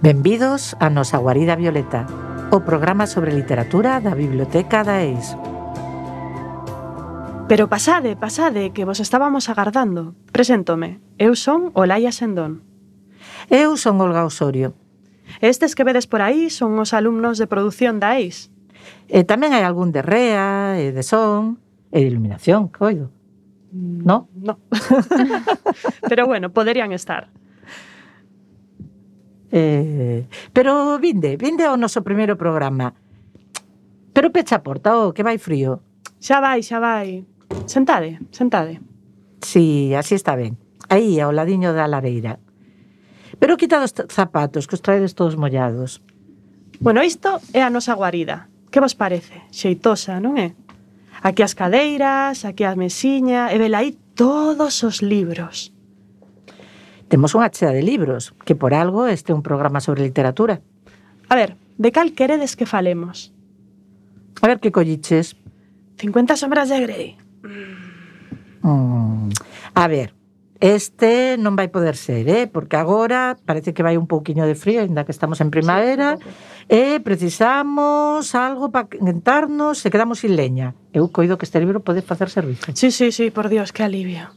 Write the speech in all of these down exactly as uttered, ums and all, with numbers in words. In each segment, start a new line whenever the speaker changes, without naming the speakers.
Benvidos a nosa Guarida Violeta, o programa sobre literatura da Biblioteca da E I S.
Pero pasade, pasade, que vos estábamos agardando. Preséntome, eu son Olaia Sendón.
Eu son Olga Osorio.
Estes que vedes por aí son os alumnos de produción da E I S.
E tamén hai algún de rea, e de son, e de iluminación, coido. No?
No. Pero bueno, poderían estar.
Eh, pero vinde, vinde ao noso primeiro programa. Pero pecha a porta, oh, que vai frío.
Xa vai, xa vai. Sentade, sentade.
Si, así está ben. Aí, ao ladiño da lareira. Pero quitad os zapatos, que os traedes todos mollados.
Bueno, isto é a nosa guarida. Que vos parece? Xeitosa, non é? Aquí as cadeiras, aquí a mesiña, e vela aí todos os libros.
Temos unha chea de libros, que por algo este é un programa sobre literatura.
A ver, de cal queredes que falemos?
A ver que colliches.
cincuenta sombras de Grey.
Mm, a ver, este non vai poder ser, eh? Porque agora parece que vai un pouquiño de frío, ainda que estamos en primavera, sí, e precisamos algo para quentarnos e quedamos sin leña. Eu coido que este libro pode facer servizo.
Sí, sí, sí, por Dios, que alivio.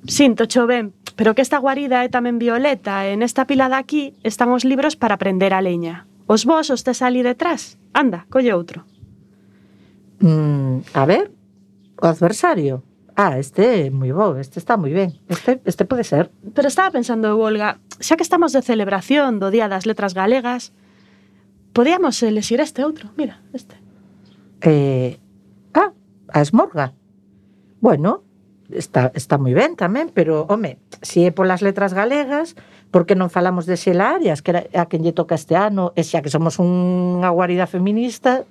Sinto, cho ben, pero que esta guarida é tamén violeta e nesta pila de aquí están os libros para prender a leña. Os vos os tes ali detrás. Anda, colle outro.
Mm, a ver, o adversario. Ah, este é moi bo, este está moi ben. Este, este pode ser.
Pero estaba pensando, Olga, xa que estamos de celebración do Día das Letras Galegas, podíamos elexir este outro, mira, este.
Eh, ah, a Esmorga. Bueno, está, está moi ben tamén, pero, home, se é polas letras galegas, por que non falamos de Xela Arias, que era a quen lle toca este ano, e xa que somos unha guarida feminista...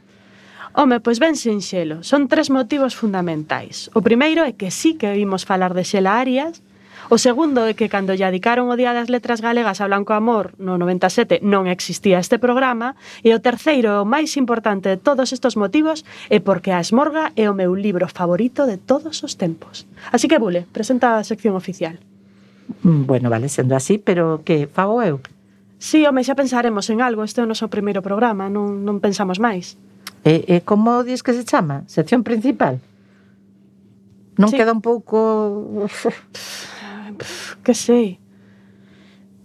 Home, pois ben sinxelo, son tres motivos fundamentais. O primeiro é que sí que vimos falar de Xela Arias, o segundo é que cando lle dedicaron o Día das Letras Galegas a Blanco Amor no noventa e sete non existía este programa, e o terceiro, o máis importante de todos estes motivos, é porque a Esmorga é o meu libro favorito de todos os tempos. Así que, Bule, presenta a sección oficial.
Bueno, vale, sendo así, pero que fago eu?
Sí, home, xa pensaremos en algo, este é o noso primeiro programa, non, non pensamos máis.
E, e como dis que se chama? Sección principal? Non
sí.
Queda un pouco...
Que sei.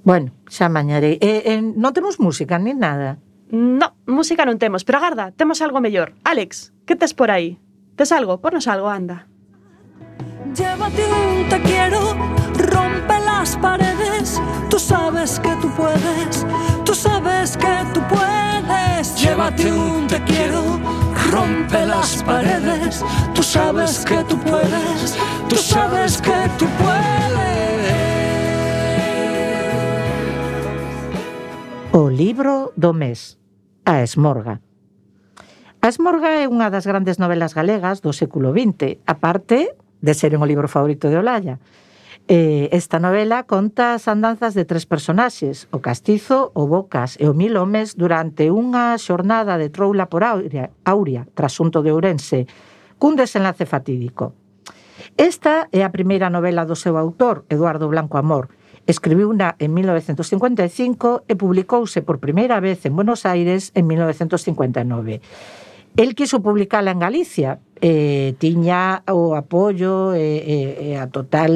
Bueno, xa mañarei. E, e non temos música nin nada?
No, música non temos, pero agarda, temos algo mellor. Alex, que tes por aí? Tes algo? Pornos algo, anda.
Llévate un te quiero, rompe las paredes. Tú sabes que tú puedes, tú sabes que tú puedes. Llévate un te quiero, rompe las paredes. Tú sabes que tú puedes, tú sabes que tú puedes.
O libro do mes, a Esmorga. A Esmorga é unha das grandes novelas galegas do século vinte, aparte de ser un libro favorito de Olaia. Eh, esta novela conta as andanzas de tres personaxes, o Castizo, o Bocas e o Mil Homes durante unha xornada de troula por Auria, Auria trasunto de Ourense, cun desenlace fatídico. Esta é a primeira novela do seu autor, Eduardo Blanco Amor. Escribiuna en mil novecentos cincuenta e cinco e publicouse por primeira vez en Buenos Aires en mil novecentos cincuenta e nove. El quiso publicala en Galicia, eh, tiña o apoio e, e, e a total,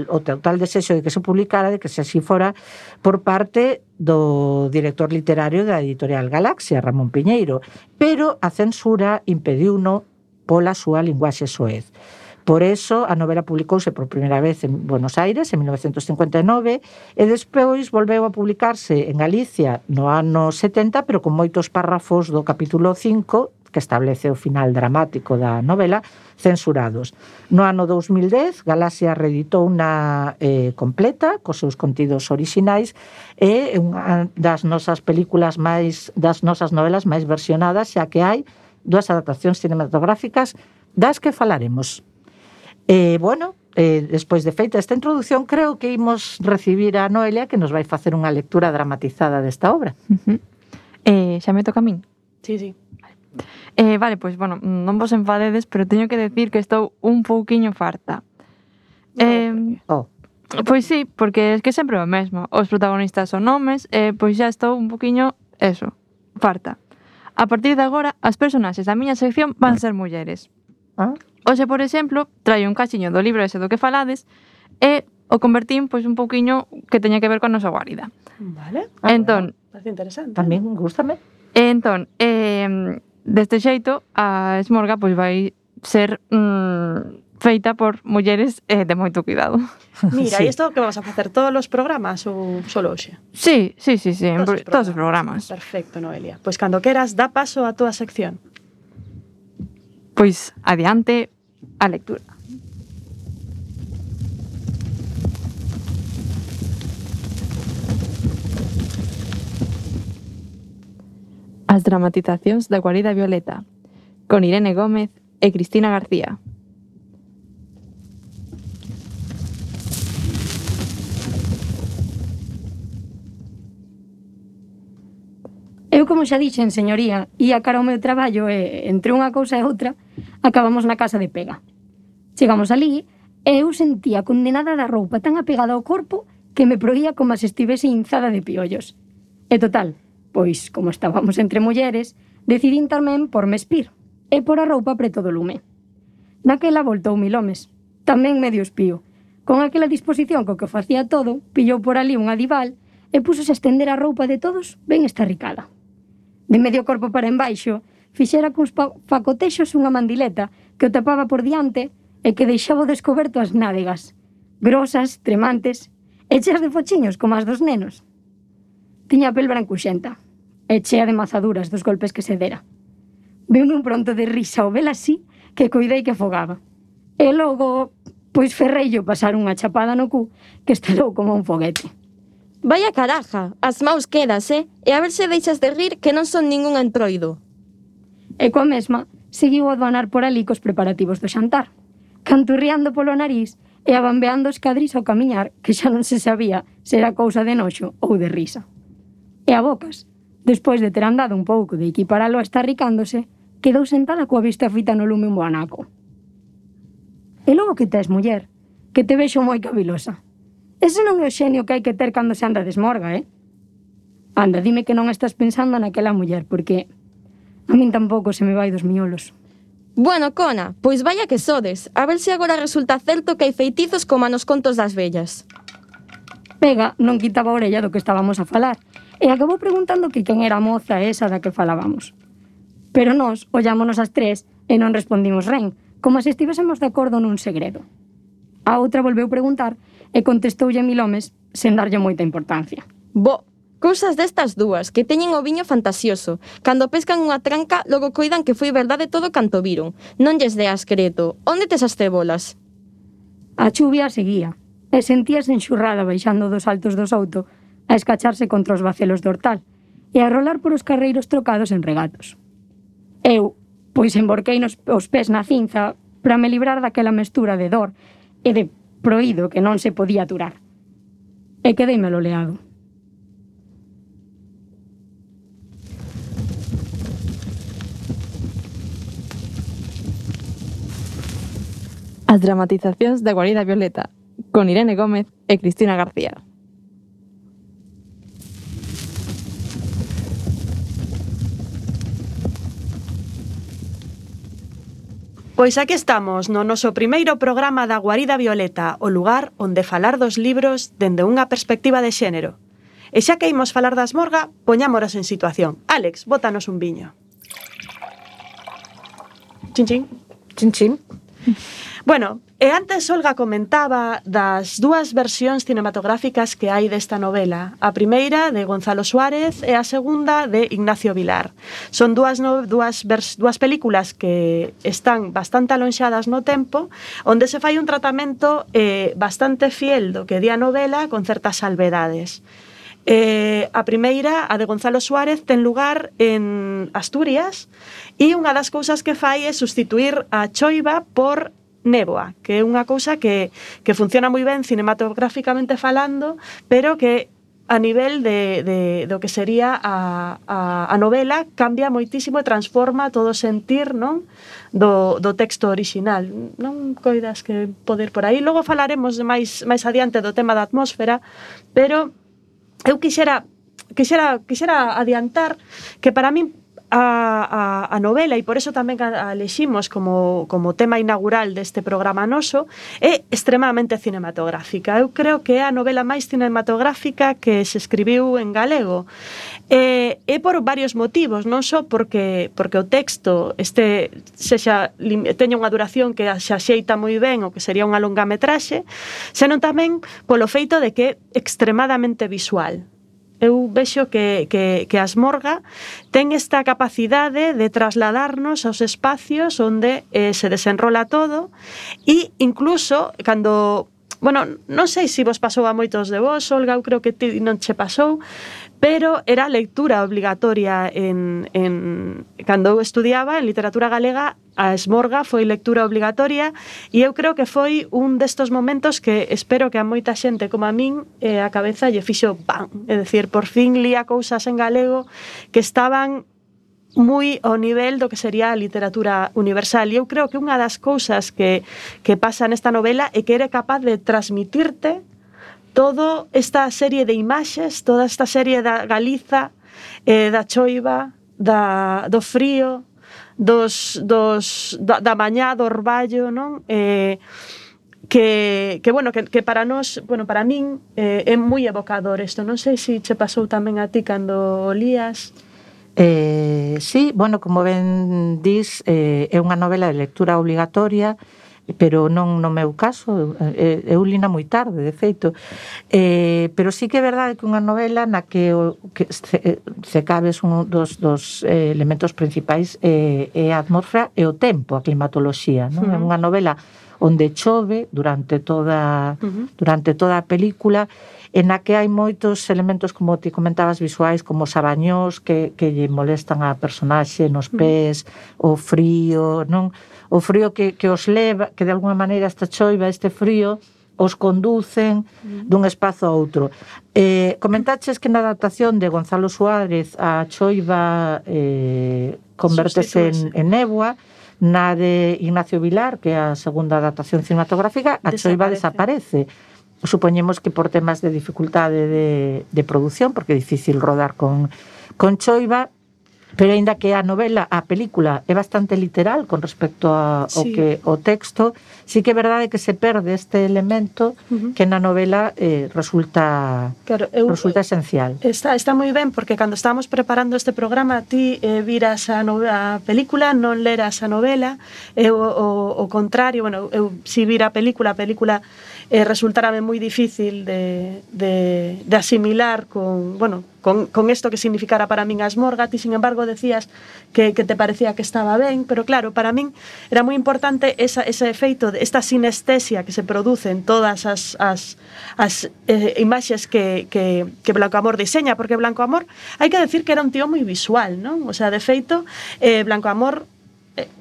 o total desexo de que se publicara, de que se así fora, por parte do director literario da editorial Galaxia, Ramón Piñeiro, pero a censura impediuno pola súa linguaxe soez. Por eso a novela publicouse por primeira vez en Buenos Aires en mil novecentos cincuenta e nove e despois volveu a publicarse en Galicia no ano setenta, pero con moitos párrafos do capítulo cinco, que establece o final dramático da novela, censurados. No ano dous mil dez, Galaxia reeditou unha eh, completa cos seus contidos orixinais e unha das nosas películas máis, das nosas novelas máis versionadas, xa que hai dúas adaptacións cinematográficas das que falaremos. Eh, bueno, eh, despois de feita esta introducción, creo que imos recibir a Noelia, que nos vai facer unha lectura dramatizada desta obra.
Uh-huh. Eh, xa me toca a min?
Sí, sí.
Eh, vale, pois, bueno, non vos enfadedes, pero teño que decir que estou un pouquiño farta.
No,
Eh,
oh.
Pois sí, porque es que sempre o mesmo. Os protagonistas son homes e pois xa estou un poquinho, eso, farta. A partir de agora, as personaxes da miña sección van ser mulleres.
Ah?
Hoxe, por exemplo, traio un cachiño do libro ese do que falades e o convertín pois un pouquiño que teña que ver con a nosa guarida.
Vale.
Ah,
entón,
Parece interesante.
Tamén gústame.
entón, eh, deste xeito, a esmorga pois vai ser mm, feita por mulleres eh, de moito cuidado.
Mira,
Sí.
e isto que vamos a facer todos os programas ou solo hoxe?
Sí, sí, sí, sí, en
Todos os
pro- todos os programas.
Perfecto, Noelia. Pois cando queras, dá paso a túa sección.
Pois adiante a lectura. As dramatizacións da Guarida Violeta, con Irene Gómez e Cristina García.
Eu, como xa dixen, señoría, ia cara ao meu traballo e, entre unha cousa e outra, acabamos na casa de pega. Chegamos ali e eu sentía condenada da roupa tan apegada ao corpo que me proía como se estivese inzada de piollos. E total, pois, como estábamos entre mulleres, decidín tamén porme espir e por a roupa preto do lume. Naquela voltou mil homes, tamén medio espío. Con aquela disposición co que facía todo, pillou por ali un adival e púsose a estender a roupa de todos ben estarricada. De medio corpo para embaixo, fixera cuns facotexos unha mandileta que o tapaba por diante e que deixaba descoberto as nádegas, grosas, tremantes, e cheas de fochiños como as dos nenos. Tiña a pel brancuxenta e chea de mazaduras dos golpes que se dera. Viu un pronto de risa ao vela así que coidei que afogaba. E logo, pois ferreillo pasar unha chapada no cu que estalou como un foguete.
Vaya caraja, as maus quedas, eh? E a ver se deixas de rir que non son ningún entroido.
E coa mesma, seguiu a doanar por ali cos preparativos do xantar, canturriando polo nariz e abambeando os cadris ao camiñar, que xa non se sabía se era cousa de noxo ou de risa. E a bocas, despois de ter andado un pouco de equiparalo a estar ricándose, quedou sentada coa vista fita no lume un boanaco. E logo que tes, muller, que te vexo moi cavilosa. Ese non é o xenio que hai que ter cando se anda de esmorga, eh? Anda, dime que non estás pensando naquela muller, porque a min tampouco se me vai dos miolos.
Bueno, Cona, pois vaya que sodes. A ver se agora resulta certo que hai feitizos como nos contos das vellas.
Pega non quitaba a orella do que estábamos a falar e acabou preguntando que quen era a moza esa da que falábamos. Pero nós ollámonos as tres e non respondimos ren, como se estivésemos de acordo nun segredo. A outra volveu preguntar e contestoulle mil homes sen darlle moita importancia.
Bo, cousas destas dúas, que teñen o viño fantasioso. Cando pescan unha tranca, logo coidan que foi verdade todo canto viron. Non lles deas creto. Onde tes as cebolas?
A chuvia seguía e sentíase enxurrada baixando dos altos do Souto a escacharse contra os bacelos do hortal e a rolar por os carreiros trocados en regatos. Eu, pois emborquei nos os pés na cinza para me librar daquela mestura de dor e de proído que non se podía aturar. E quedeime loleado.
As dramatizacións da Guarida Violeta, con Irene Gómez e Cristina García.
Pois aquí estamos no noso primeiro programa da Guarida Violeta, o lugar onde falar dos libros dende unha perspectiva de xénero. E xa que imos falar da esmorga, poñámonos en situación. Álex, bótanos un viño. Chin, chin.
Chin, chin.
Bueno, e antes Olga comentaba das dúas versións cinematográficas que hai desta novela. A primeira de Gonzalo Suárez e a segunda de Ignacio Vilar. Son dúas, no, dúas, vers, dúas películas que están bastante alonxadas no tempo, onde se fai un tratamento eh, bastante fiel do que di a novela con certas salvedades. Eh, a primeira, a de Gonzalo Suárez, ten lugar en Asturias e unha das cousas que fai é sustituir a choiva por néboa, que é unha cousa que, que funciona moi ben cinematográficamente falando, pero que a nivel de, de, do que sería a, a, a novela, cambia moitísimo e transforma todo o sentir, non? Do, do texto orixinal. Non coidas que poder por aí. Logo falaremos máis, máis adiante do tema da atmósfera, pero eu quixera, quixera, quixera adiantar que para min A, a, a novela, e por eso tamén a, a eleximos como, como tema inaugural deste programa noso, é extremadamente cinematográfica. Eu creo que é a novela máis cinematográfica que se escribiu en galego. E, é por varios motivos, non só porque, porque o texto este sexa, teña unha duración que se axeita moi ben o que sería unha longametraxe, senón tamén polo feito de que é extremadamente visual. Eu vexo que, que, que Asmorga ten esta capacidade de trasladarnos aos espacios onde eh, se desenrola todo, e incluso cando, bueno, non sei se vos pasou a moitos de vos, Olga, eu creo que ti non che pasou, pero era lectura obligatoria en, en cando eu estudiaba en literatura galega. A Esmorga foi lectura obligatoria, e eu creo que foi un destos momentos que espero que a moita xente como a min eh, a cabeza lle fixo ¡pam! É dicir, por fin lía cousas en galego que estaban moi ao nivel do que sería a literatura universal. E eu creo que unha das cousas que, que pasa nesta novela é que era capaz de transmitirte toda esta serie de imaxes, toda esta serie da Galiza, eh, da choiva, da, do frío, dos, dos, da, da mañá, do orballo, non? Eh, que, que, bueno, que, que para nós, bueno, para min, eh, é moi evocador isto. Non sei se che pasou tamén a ti cando o lías.
Eh, sí, bueno, como ben dis, eh, é unha novela de lectura obligatoria, pero non no meu caso, eu, eu lina moi tarde, de feito, eh, pero sí que é verdade que unha novela na que, o, que se, se cabes un dos, dos eh, elementos principais eh, é a atmosfera e o tempo, a climatoloxía, non? Uh-huh. É unha novela onde chove durante toda, uh-huh. durante toda a película, en a que hai moitos elementos, como ti comentabas, visuais, como os abañós que, que lle molestan a personaxe nos pés, uh-huh. o frío, non? O frío que, que os leva, que de alguma maneira esta choiva, este frío, os conducen uh-huh. dun espazo a outro. Eh, comentaches que na adaptación de Gonzalo Suárez a choiva eh, convertese en, en néboa, na de Ignacio Vilar, que é a segunda adaptación cinematográfica, a choiva desaparece. Supoñemos que por temas de dificultade de, de produción, porque é difícil rodar con, con choiva, pero aínda que a novela, a película é bastante literal con respecto ao
sí.
que o texto, sí que é verdade que se perde este elemento uh-huh. que na novela eh, resulta
claro, eu,
resulta esencial.
Está, está moi ben, porque cando estábamos preparando este programa, ti eh, viras a, novela, a película, non leras a novela, eu o, o contrario, bueno, eu si vira a película, a película eh, resultarame moi difícil de, de, de asimilar con, bueno, con, con esto que significara para min Asmorga. Ti, sin embargo, decías que, que te parecía que estaba ben, pero claro, para min era moi importante esa, ese efeito, esta sinestesia que se produce en todas as, as, as eh, imaxes que, que, que Blanco Amor diseña, porque Blanco Amor, hai que decir que era un tío moi visual, non? O sea, de feito, eh, Blanco Amor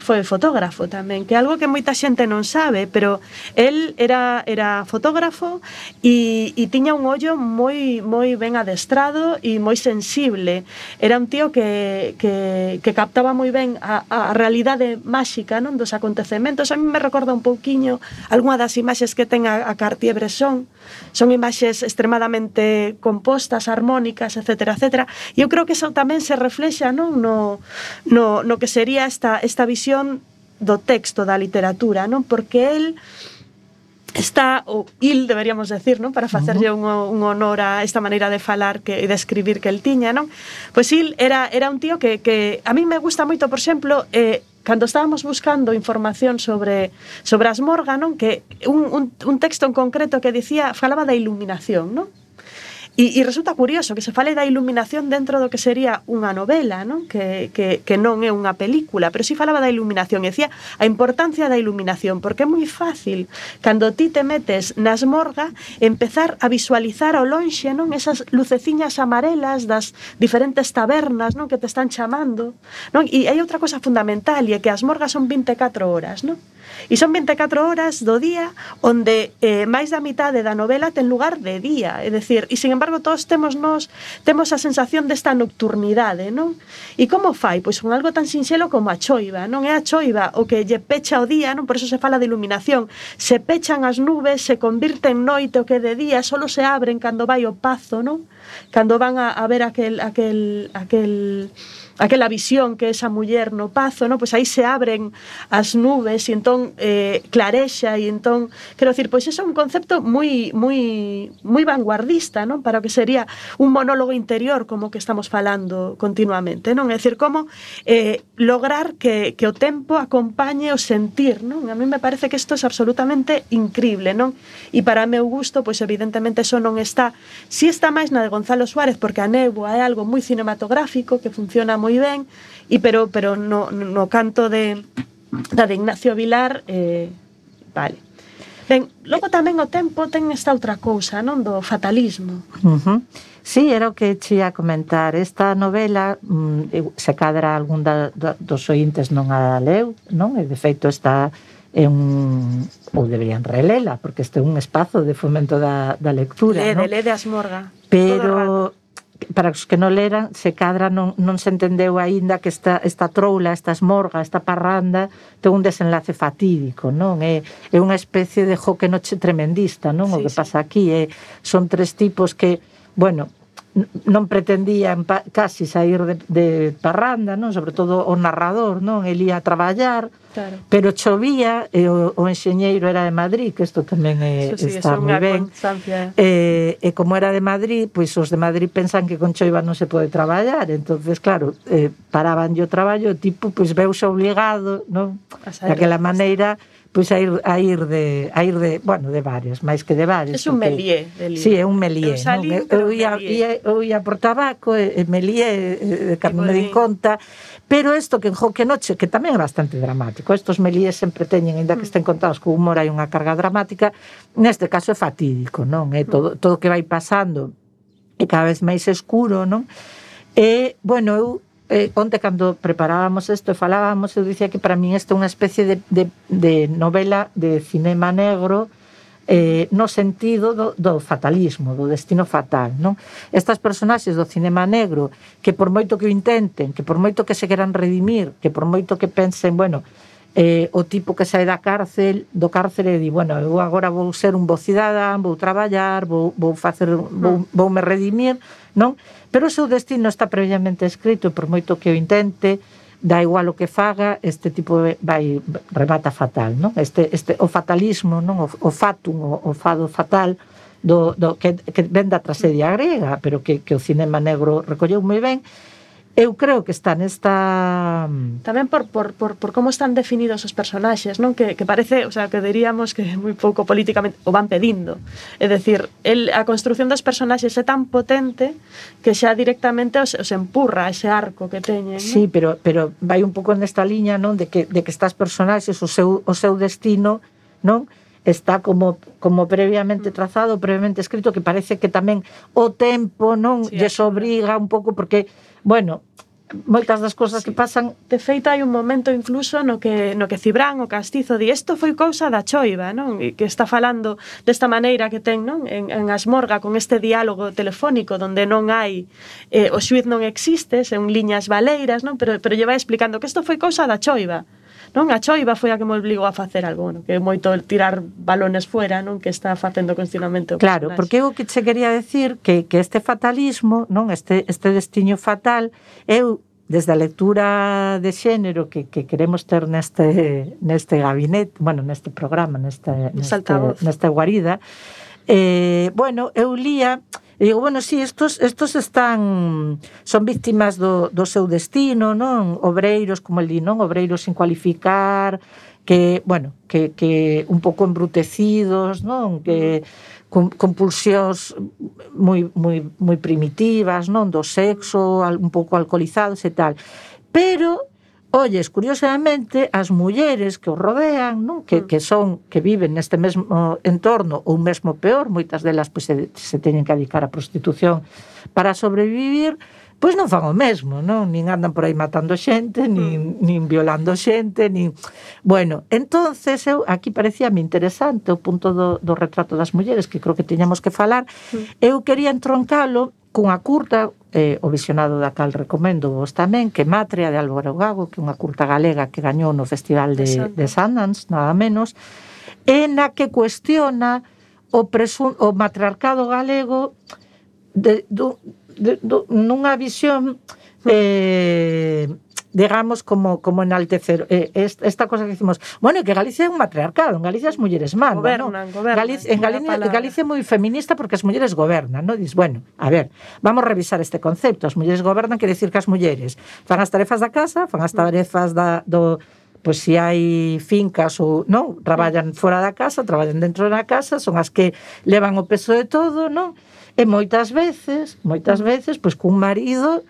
foi fotógrafo tamén, que é algo que moita xente non sabe, pero el era, era fotógrafo e, e tiña un ollo moi moi ben adestrado e moi sensible. Era un tío que, que, que captaba moi ben a, a realidade máxica, non, dos acontecementos. A mí me recorda un pouquiño algunha das imaxes que ten a, a Cartier-Bresson. Son imaxes extremadamente compostas, armónicas, etcétera, etcétera. E eu creo que eso tamén se reflexa, non, no, no, no que sería esta, esta visión do texto, da literatura, non? Porque el está, ou il deberíamos decir, non? Para facerlle un, un honor a esta maneira de falar que, e de escribir que el tiña, non? Pois il era, era un tío que, que a mí me gusta moito, por exemplo, eh, cando estábamos buscando información sobre sobre Asmorga, non? Que un, un, un texto en concreto que dicía, falaba da iluminación, non? E, e resulta curioso que se fale da iluminación dentro do que sería unha novela, non? Que, que, que non é unha película, pero si falaba da iluminación e decía a importancia da iluminación, porque é moi fácil cando ti te metes na Asmorga empezar a visualizar ao lonxe, non? Esas luceciñas amarelas das diferentes tabernas, non? Que te están chamando, non? E hai outra cosa fundamental, e é que a Asmorga son vinte e catro horas, non? E son vinte e catro horas do día onde eh, máis da mitade da novela ten lugar de día, é dicir, e sin embargo embargo, todos temos nos temos a sensación desta nocturnidade, non? E como fai? Pois con algo tan sinxelo como a choiva, non é a choiva o que lle pecha o día, non? Por eso se fala de iluminación. Se pechan as nubes, se convirte en noite o que de día, solo se abren cando vai o pazo, non? Cando van a, a ver aquel aquel aquel aquela visión que esa muller no pazo, no? Pois aí se abren as nubes e entón eh, clarexa e entón, quero dicir, pois iso é un concepto moi moi moi vanguardista, non? Para o que sería un monólogo interior como que estamos falando continuamente, non? É dicir, como eh, lograr que, que o tempo acompañe o sentir, non? A mí me parece que isto é absolutamente increíble, non? E para meu gusto, pois evidentemente eso non está, si está máis na de Gonzalo Suárez, porque a néboa é algo moi cinematográfico que funciona moi ben, e pero pero no, no canto de da de Ignacio Vilar eh, vale. Ben, logo tamén o tempo ten esta outra cousa, non? Do fatalismo.
Uh-huh. Sí, era o que che ia comentar. Esta novela, mm, se cadra algún da, da, dos ointes non a leu, non? E de feito está é un, ou deberían relela, porque este é un espazo de fomento da, da lectura,
Lede,
non?
lede Asmorga.
Pero para os que non leran, se cadra non, non se entendeu aínda que esta, esta troula, esta esmorga, esta parranda ten un desenlace fatídico, non? É, é unha especie de joque noche tremendista, non? Sí, o que sí. pasa aquí é, son tres tipos que, bueno, non pretendían pa, casi sair de, de parranda, non? Sobre todo o narrador, non? El ia a traballar, claro. Pero chovía e o, o enxeñeiro era de Madrid, que isto tamén é, sí, está moi ben. E, e como era de Madrid, pois os de Madrid pensan que con choiva non se pode traballar, entonces claro, eh, paraban o traballo, o tipo pois veuse obligado, non? Daquela maneira pois a ir a ir de a ir de, bueno, de varios, máis que de varios.
É un melié,
de sí, é un melié, non? Eu ia eu ia por tabaco, e melié de cando me di conta, pero isto que en Joque Noche, que tamén é bastante dramático, estos meliés sempre teñen, ainda que estén contados con humor, hai unha carga dramática, neste caso é fatídico, non? É todo todo que vai pasando é cada vez máis escuro, non? E, bueno, eu Eh, onte cando preparábamos isto e falábamos, eu dicía que para min isto é unha especie de, de, de novela de cinema negro eh, no sentido do, do fatalismo, do destino fatal, non? Estas personaxes do cinema negro que por moito que o intenten, que por moito que se queran redimir, que por moito que pensen, bueno, eh, o tipo que sae da cárcel, do cárcel e di, bueno, eu agora vou ser un bo cidadán, vou traballar, vou, vou facer, vou, vou me redimir, non? Pero o seu destino está previamente escrito e por moito que o intente, dá igual o que faga, este tipo vai remata fatal, non? Este este o fatalismo, non? O, o fatum, o, o fado fatal do, do que que ven da tragedia grega, pero que que o cinema negro recolleu moi ben. Eu creo que está nesta...
Tamén por, por, por, por como están definidos os personaxes, non? Que, que parece, o sea, que diríamos que moi pouco políticamente o van pedindo. É dicir, el, a construción dos personaxes é tan potente que xa directamente os, os empurra ese arco que teñen, non?
Sí, pero, pero vai un pouco nesta liña, non? De que, de que estas personaxes, o seu, o seu destino, non? Está como como previamente trazado, previamente escrito, que parece que tamén o tempo, non? Sí, lles obriga un pouco, porque, bueno, moitas das cousas sí. que pasan...
De feito, hai un momento incluso no que no que Cibrán, o castizo, di isto foi cousa da choiva, non? E que está falando desta maneira que ten, non? En, en Asmorga, con este diálogo telefónico donde non hai... Eh, o xuiz non existe, son liñas baleiras, non? Pero, pero lle vai explicando que isto foi cousa da choiva. Non, a choiva foi a que me obligou a facer algo, non? Que é moito tirar balones fuera, non? Que está facendo continuamente o
Claro, personaxe. Porque eu que che quería decir que, que este fatalismo, non? Este, este destino fatal, eu, desde a lectura de xénero que, que queremos ter neste, neste gabinete, bueno, neste programa, neste, neste, neste guarida, eh, bueno, eu lía... E digo, bueno, sí, estos, estos están son víctimas do, do seu destino, non? Obreiros, como el di, non? Obreiros sin cualificar, que, bueno, que, que un pouco embrutecidos, non? Que con, con pulsións moi, moi, moi primitivas, non? Do sexo, un pouco alcoholizados e tal. Pero olles, curiosamente, as mulleres que os rodean, non? Que, que son, que viven neste mesmo entorno, ou mesmo peor, moitas delas pois, se, se teñen que dedicar á prostitución para sobrevivir, pois non fan o mesmo, non? Nin andan por aí matando xente, nin, nin violando xente, nin... Bueno, entonces eu aquí parecíame interesante o punto do, do retrato das mulleres, que creo que tiñamos que falar. Eu quería entroncalo cunha curta, eh, o visionado da cal recomendo vos tamén, que Matria, de Álvaro Gago, que é unha curta galega que gañou no Festival de, de Sundance, nada menos, e na que cuestiona o, presun, o matriarcado galego de, do, de, do, nunha visión eh, digamos como, como enaltecer eh, esta cosa que decimos, bueno, que Galicia é un matriarcado, en Galicia as mulleres mandan,
gobernan,
¿no?
gobernan,
Galicia, en Galicia, Galicia é moi feminista porque as mulleres gobernan, ¿no? Diz, bueno, a ver, vamos a revisar este concepto, as mulleres gobernan quere decir que as mulleres fan as tarefas da casa, fan as tarefas da, do pois se hai fincas ou non, traballan fora da casa, traballan dentro da casa, son as que levan o peso de todo, non? E moitas veces, moitas veces, pois cun marido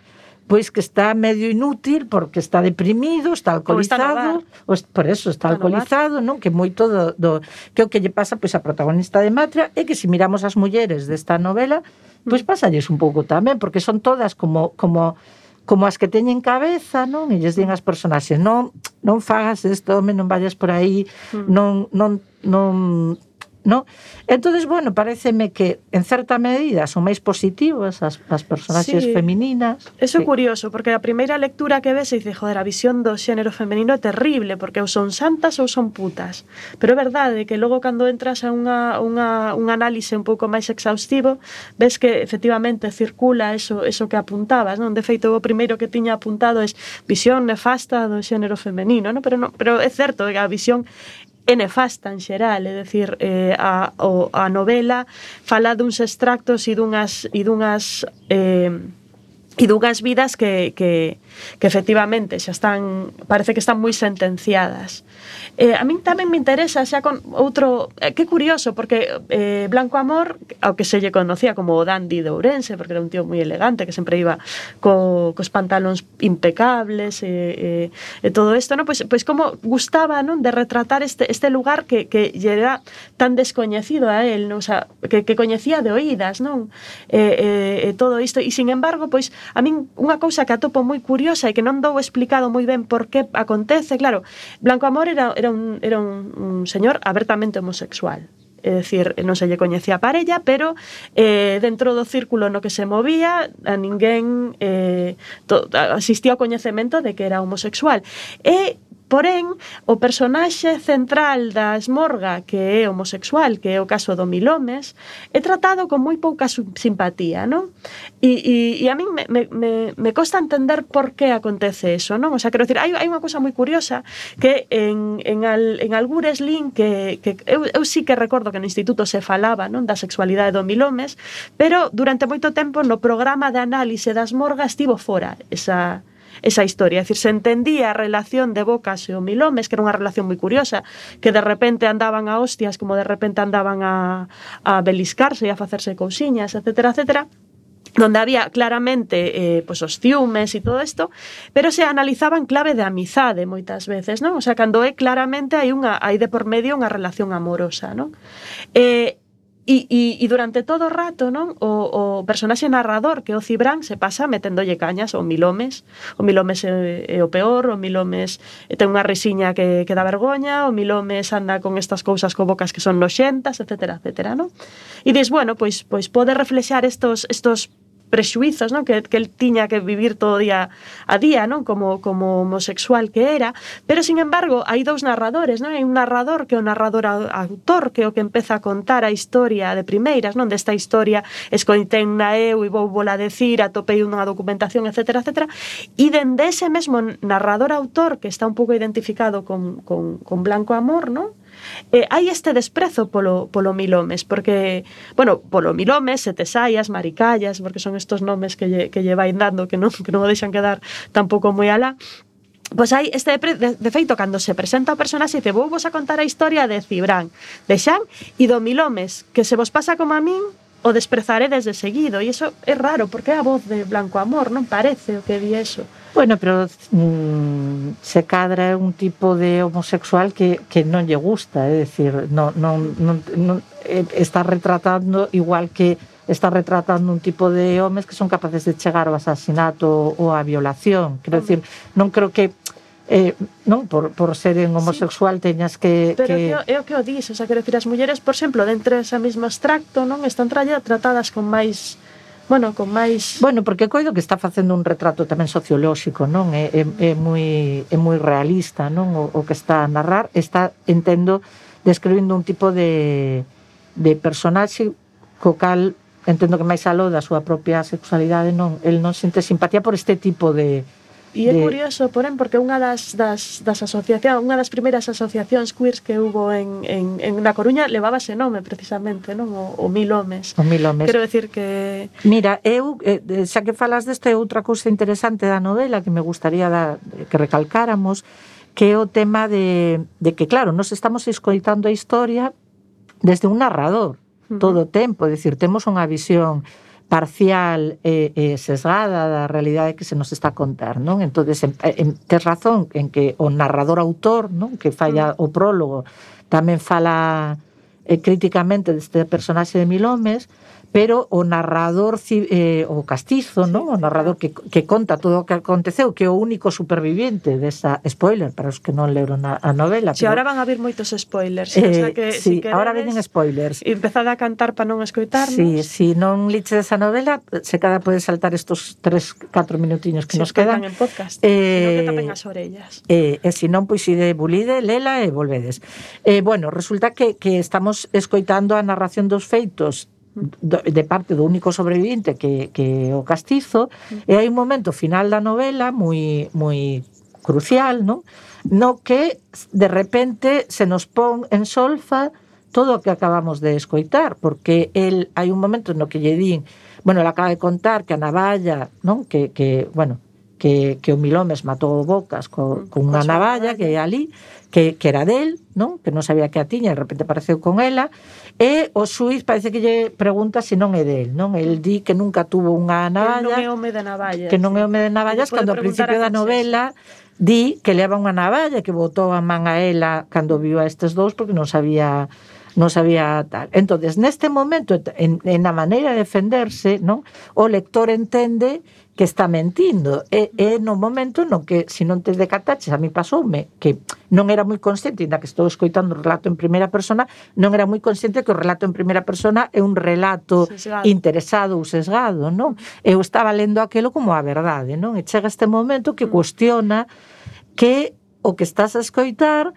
pois que está medio inútil porque está deprimido, está alcoholizado, ou está por eso está, está alcoholizado, non? Que moito do, do que o que lle pasa pois a protagonista de Matria é que se miramos as mulleres desta novela, pois pasalles un pouco tamén, porque son todas como como como as que teñen cabeza, non? E lles din as personaxes, non non fagas isto, home, non vayas por aí, non non non ¿no? Entonces, bueno, pareceme que en certa medida son máis positivas as, as personaxes
sí.
femininas.
Eso é
sí.
curioso, porque a primeira lectura que ves e dice, joder, a visión do xénero femenino é terrible, porque ou son santas ou son putas. Pero é verdade que logo cando entras a unha, unha, un análise un pouco máis exhaustivo, ves que efectivamente circula eso, eso que apuntabas, non? De feito, o primeiro que tiña apuntado é visión nefasta do xénero femenino, non? Pero, non, pero é certo que a visión é nefasta en xeral, é dicir, eh, a, o, a novela fala duns extractos e dunhas e dunhas eh, e dunhas vidas que, que, que efectivamente xa están, parece que están moi sentenciadas. Eh, a min tamén me interesa xa con outro, eh, que curioso, porque eh, Blanco Amor, ao que se lle conocía como o dandy de Ourense, porque era un tío moi elegante que sempre iba co, cos pantalóns impecables e, e, e todo isto, ¿no? Pois, pois como gustaba, non, de retratar este, este lugar que, que lle era tan descoñecido a él, non? O sea, que, que coñecía de oídas, non? E, e, e todo isto, e sin embargo, pois a min unha cousa que atopo moi curiosa e que non dou explicado moi ben por que acontece, claro, Blanco Amor era, era, un, era un, un señor abertamente homosexual. É dicir, non se lle coñecía a parella, pero eh, dentro do círculo no que se movía a ninguén eh, to, asistía ao coñecemento de que era homosexual. E porén, o personaxe central da Esmorga, que é homosexual, que é o caso do Milomes, é tratado con moi pouca simpatía, non? E, e, e a min me, me, me costa entender por que acontece eso, non? O sea, quero dicir, hai, hai unha cousa moi curiosa que en, en, al, en Algures Lin, que, que eu, eu sí que recordo que no instituto se falaba, non, da sexualidade do Milomes, pero durante moito tempo no programa de análise da Esmorga estivo fora esa... esa historia, é dicir, se entendía a relación de Bocas e o Milomes, que era unha relación moi curiosa, que de repente andaban a hostias, como de repente andaban a, a beliscarse e a facerse cousiñas, etcétera, etcétera, donde había claramente eh, pues, os ciúmes e todo isto, pero se analizaba en clave de amizade moitas veces, non? O sea, cando é claramente hai unha hai de por medio unha relación amorosa, non? Eh, E, e, e durante todo o rato, non, o, o personaxe narrador, que é o Cibrán, se pasa meténdolle cañas ao Milomes. O Milomes é, é o peor, o Milomes ten unha risiña que, que dá vergoña, o Milomes anda con estas cousas co Bocas que son noxentas, etcétera, etcétera, non? E dis, bueno, pois, pois pode reflexar estos, estos prexuizos, non? Que, que el tiña que vivir todo día a día, non? Como, como homosexual que era, pero sin embargo hai dous narradores, non? Hai un narrador que é o narrador autor, que é o que empeza a contar a historia de primeiras, non? Desta historia escoitei na eu e vou vola decir, atopei unha documentación, etcétera, etcétera, e dende ese mesmo narrador autor que está un pouco identificado con, con, con Blanco Amor, non? Eh, hai este desprezo polo, polo Milomes, porque, bueno, polo Milomes, Setesaias, Maricallas, porque son estos nomes que lle, que lle vai dando que non, que non o deixan quedar tampouco moi alá. Pois hai este de, de feito, cando se presenta o personaxe, dice, vou vos a contar a historia de Cibrán, de Xan e do Milomes, que se vos pasa como a min, o desprezaré desde seguido, e iso é raro, porque é a voz de Blanco Amor, non parece o que di eso.
Bueno, pero mmm, se cadra un tipo de homosexual que, que non lle gusta, é dicir, non, non, non, non, está retratando igual que está retratando un tipo de homes que son capaces de chegar ao asasinato ou á violación. Quero decir, non creo que Eh, non, por, por ser en homosexual sí. teñas que...
Pero
que...
é o que o dis, o sea, quero dicir, as mulleres, por exemplo, dentro desa mesmo extracto, non están tralla tratadas con máis... Bueno, con máis...
Bueno, porque coido que está facendo un retrato tamén sociolóxico, non? É, é, é, moi, é moi realista, non? O, o que está a narrar, está, entendo, describindo un tipo de, de personaxe co cal, entendo que máis aló da súa propia sexualidade, non? El non sente simpatía por este tipo de...
E é de... curioso, porén, porque unha das, das, das asociacións, unha das primeiras asociacións queers que hubo en, en, en Na Coruña levaba ese nome, precisamente, non? O, o Mil Homes.
O Mil Homes.
Quero decir que...
Mira, eu, eh, xa que falas desta, outra cousa interesante da novela que me gustaría da, que recalcáramos, que é o tema de, de que, claro, nos estamos escoitando a historia desde un narrador, uh-huh. todo o tempo, é dicir, temos unha visión parcial e, e sesgada da realidade que se nos está a contar, non? Entonces, en, en, tes razón en que o narrador autor, non? Que falla o prólogo, tamén fala eh, críticamente deste personaxe de Mil Homes, pero o narrador eh, o castizo, sí, non? O narrador que, que conta todo o que aconteceu, que é o único superviviente desa spoiler para os que non leron a, a novela.
Si, pero... ahora van a vir moitos spoilers, eh, o sea que
sí,
si queredes,
ahora venen spoilers.
E empezad a cantar para non escoitarnos.
Sí, si non liches esa novela, se cada pode saltar estos tres, catro minutiños que
si
nos quedan
en podcast,
eh,
sino que tapen as orellas.
Eh, e se non, pois ide bulide, lela e volvedes. Eh, bueno, resulta que, que estamos escoitando a narración dos feitos de parte do único sobreviviente que, que o castizo, e hai un momento final da novela moi, moi crucial, non? No que de repente se nos pon en solfa todo o que acabamos de escoitar, porque el hai un momento no que lle din, bueno, ela acaba de contar que a navalla, non? Que, que bueno, que, que o Mil Homes matou Bocas co, con unha navalla que é ali, que, que era del, non? Que non sabía que a tiña, e de repente apareceu con ela, e o xuiz parece que lle pregunta se non é del, non? El di que nunca tuvo unha navalla,
que non é home de navallas,
que non é home de navallas, cando ao principio da novela di que leva unha navalla, que botou a man a ela cando viu a estes dous porque non sabía non sabía tal. Entonces, neste momento, en, en a maneira de defenderse, non? O lector entende que está mentindo. E, e no momento no que, se non te decataches, a mí pasoume, que non era moi consciente, ainda que estou escoitando o relato en primeira persona, non era moi consciente que o relato en primeira persona é un relato sesgado, interesado ou sesgado, non? Eu estaba lendo aquilo como a verdade, non? E chega este momento que cuestiona que o que estás a escoitar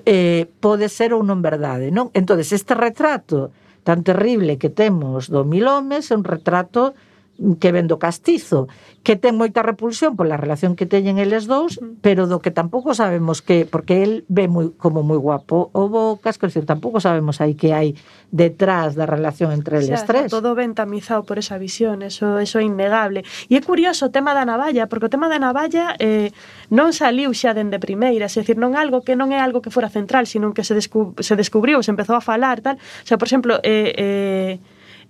eh, pode ser ou non verdade, non? Entonces, este retrato tan terrible que temos do Mil Homes é un retrato que ven do castizo, que ten moita repulsión pola relación que teñen eles dous, pero do que tampouco sabemos que, porque el ve moi, como moi guapo o Bocas, que decir, tampouco sabemos aí que hai detrás da relación entre eles
o sea,
tres.
Todo ben tamizado por esa visión, eso, eso é innegable. E é curioso o tema da navalla, porque o tema da navalla eh, non saliu xa dende primeira, é dicir, non algo que non é algo que fora central, sino que se, descu se descubriu, se empezou a falar, tal. O sea, por exemplo, eh, eh,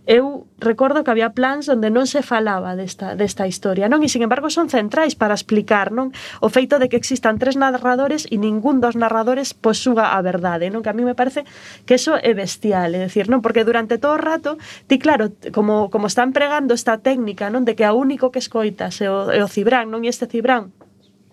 eu recordo que había plans onde non se falaba desta, desta historia, non? E, sin embargo, son centrais para explicar, non? O feito de que existan tres narradores e ningún dos narradores posúa a verdade, non? Que a mí me parece que eso é bestial, é dicir, non? Porque durante todo o rato, ti, claro, como, como están pregando esta técnica, non? De que a único que escoitas é o, é o Cibrán, non? E este Cibrán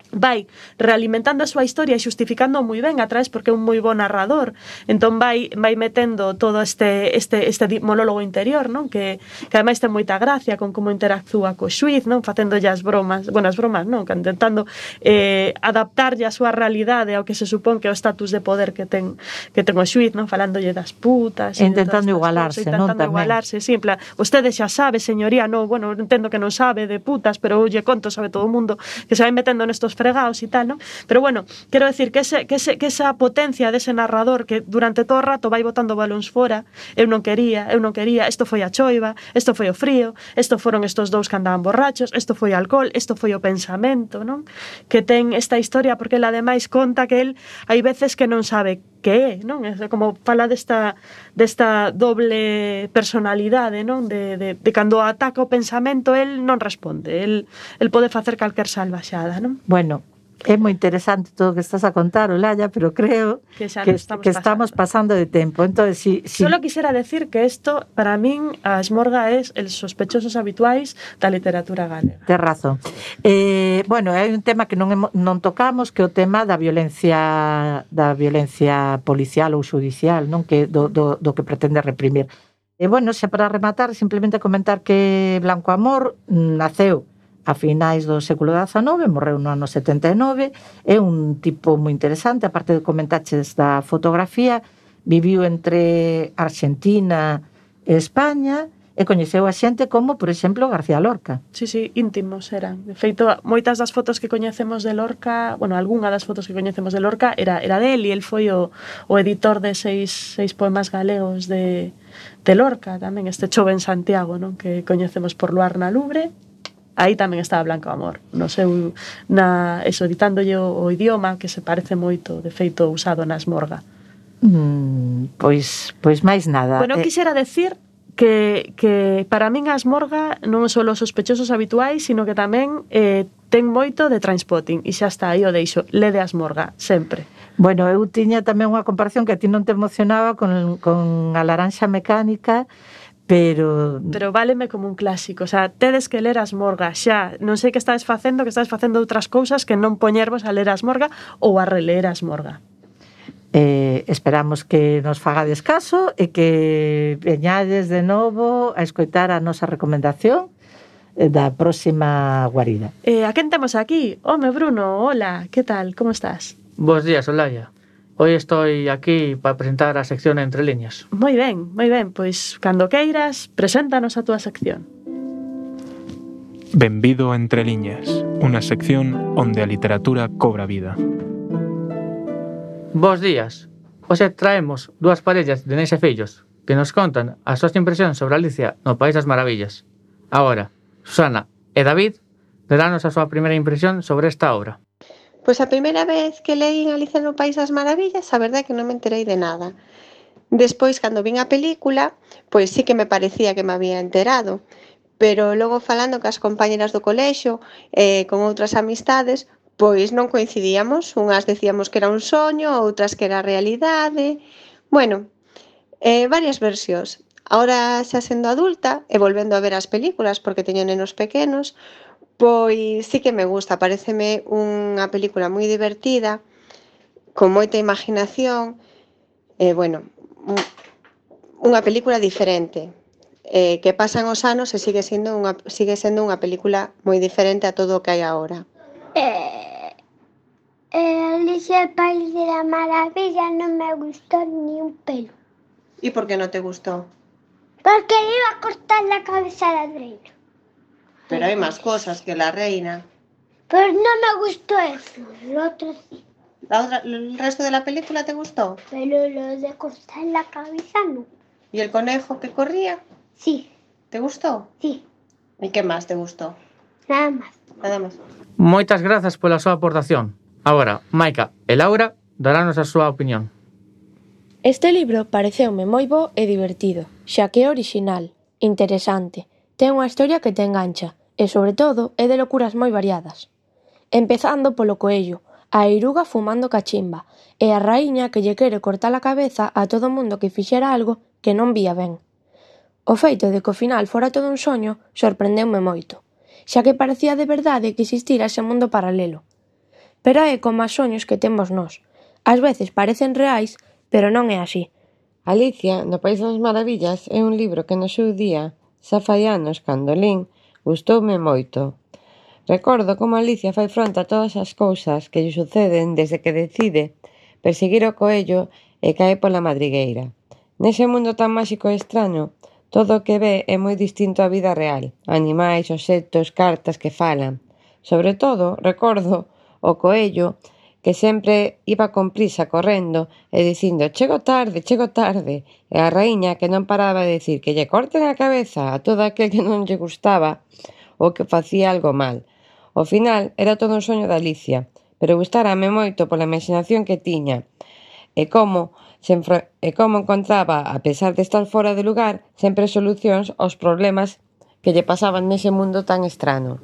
vai realimentando a súa historia e xustificando moi ben atrás porque é un moi bo narrador. Entón vai vai metendo todo este este este monólogo interior, non? Que que ademais ten moita gracia con como interactúa co xuiz, non? Facéndolle as bromas, bueno, as bromas, non, que intentando eh adaptarlle a súa realidade ao que se supón que é o estatus de poder que ten que ten o xuiz, non? Falándolle das putas,
intentando igualarse,
cosas,
non?
Intentando igualarse, sí, en plan, vostede xa sabe, señoría, non, bueno, entendo que non sabe de putas, pero lle conto, sabe todo o mundo, que se vai metendo nestos fregados e tal, non? Pero bueno, quero decir que, ese, que, ese, que esa potencia dese narrador que durante todo o rato vai botando balóns fora, eu non quería, eu non quería, isto foi a choiva, isto foi o frío, isto foron estos dous que andaban borrachos, isto foi o alcohol, isto foi o pensamento, non? Que ten esta historia, porque ele ademais conta que el hai veces que non sabe que é, non? É como fala desta, desta doble personalidade, non? De, de, de cando ataca o pensamento, el non responde, el, el pode facer calquer salvaxada, non?
Bueno, É moi interesante todo o que estás a contar, Olaya, pero creo
Que xa
que,
nos estamos
que estamos pasando de tempo. Entonces, si, si...
Solo quisiera decir que esto, para min, a Esmorga es el sospechosos habituais da literatura galega.
Tes razón. Eh, bueno, hai un tema que non, hemo, non tocamos, que é o tema da violencia da violencia policial ou judicial, non, que do, do, do que pretende reprimir. E bueno, xa para rematar, simplemente comentar que Blanco Amor naceu a finais do século dezanove, morreu no ano setenta e nove, é un tipo moi interesante, aparte de comentaches da fotografía, viviu entre Argentina e España, e coñeceu a xente como, por exemplo, García Lorca.
Sí, sí, íntimos eran. De feito, moitas das fotos que coñecemos de Lorca, bueno, algunha das fotos que coñecemos de Lorca era, era del, e el foi o, o editor de seis, seis poemas galegos de, de Lorca, tamén este Chove en Santiago, non, que coñecemos por Luar na Lubre. Aí tamén estaba Blanco Amor, no seu, na, eso, editándolle o, o idioma, que se parece moito, de feito, usado na Esmorga.
Mm, pois, pois máis nada.
Bueno,
eh...
quixera decir que, que para min a Esmorga non só os sospechosos habituais, sino que tamén eh, ten moito de Trainspotting, e xa está, aí o deixo, lede a Esmorga, sempre.
Bueno, eu tiña tamén unha comparación que a ti non te emocionaba con, con a Laranxa Mecánica, pero...
Pero váleme como un clásico, o sea, tedes que ler a Esmorga xa, non sei que estades facendo, que estades facendo outras cousas que non poñervos a ler a Esmorga ou a releer a Esmorga.
Eh, esperamos que nos fagades caso e que veñades de novo a escoitar a nosa recomendación da próxima guarida.
Eh, a quen temos aquí? Home, Bruno, hola, que tal, como estás?
Bos días, Olaya. Hoy estoy aquí para presentar a sección Entre Liñas.
Moi ben, moi ben, pois cando queiras, preséntanos a túa sección.
Benvido a Entre Liñas, unha sección onde a literatura cobra vida.
Bos días. Hoxe traemos dúas parellas de neis e fillos que nos contan as súas impresións sobre Alicia no País das Maravillas. Agora, Susana e David darános a súa primeira impresión sobre esta obra.
Pois a primeira vez que leín Alicia no País das Maravillas, a verdade é que non me enterei de nada. Despois, cando vin a película, pois sí que me parecía que me había enterado, pero logo falando cas compañeras do colexio e eh, con outras amistades, pois non coincidíamos, unhas decíamos que era un soño, outras que era realidade. Bueno, eh, varias versións. Ahora xa sendo adulta e volvendo a ver as películas porque teño nenos pequenos, pois sí que me gusta, paréceme unha película moi divertida, con moita imaginación, e, bueno, unha película diferente, eh, que pasan os anos e sigue sendo unha, sigue sendo unha película moi diferente a todo o que hai agora.
Eh, eh, Alicia, el País de la Maravilla non me gustó ni un pelo.
E por que non te gustou?
Porque le iba a cortar la cabeza a la reina.
Pero hai máis cosas que la reina.
Pero no me gustó eso, lo otro sí.
La otra, ¿el resto de la película te gustó?
Pero lo de cortar la cabeza no.
¿Y el conejo que corría?
Sí.
¿Te gustó?
Sí.
¿Y qué más te gustó?
Nada más.
Nada más.
Moitas grazas pola súa aportación. Agora, Maica e Laura darános a súa opinión.
Este libro pareceume moi bo e divertido, xa que é original, interesante, ten unha historia que te engancha e, sobre todo, é de locuras moi variadas. Empezando polo coello, a eiruga fumando cachimba e a raíña que lle quere cortar a cabeza a todo mundo que fixera algo que non vía ben. O feito de que ao final fora todo un soño sorprendeume moito, xa que parecía de verdade que existira ese mundo paralelo. Pero é como as soños que temos nós. Ás veces parecen reais, pero non é así.
Alicia no País das Maravillas é un libro que no seu día, xa fai anos cando lín, gustoume moito. Recordo como Alicia fai fronte a todas as cousas que lle suceden desde que decide perseguir o coello e cae pola madrigueira. Nese mundo tan máxico e extraño, todo o que ve é moi distinto á vida real. Animais, obxectos, cartas que falan. Sobre todo, recordo o coello que sempre iba con prisa correndo e dicindo chego tarde, chego tarde, e a raíña que non paraba de decir que lle corten a cabeza a todo aquel que non lle gustaba ou que facía algo mal. Ao final era todo un soño de Alicia, pero gustárame moito pola imaginación que tiña e como, se enfro- e como encontraba, a pesar de estar fora de lugar, sempre solucións aos problemas que lle pasaban nese mundo tan estrano.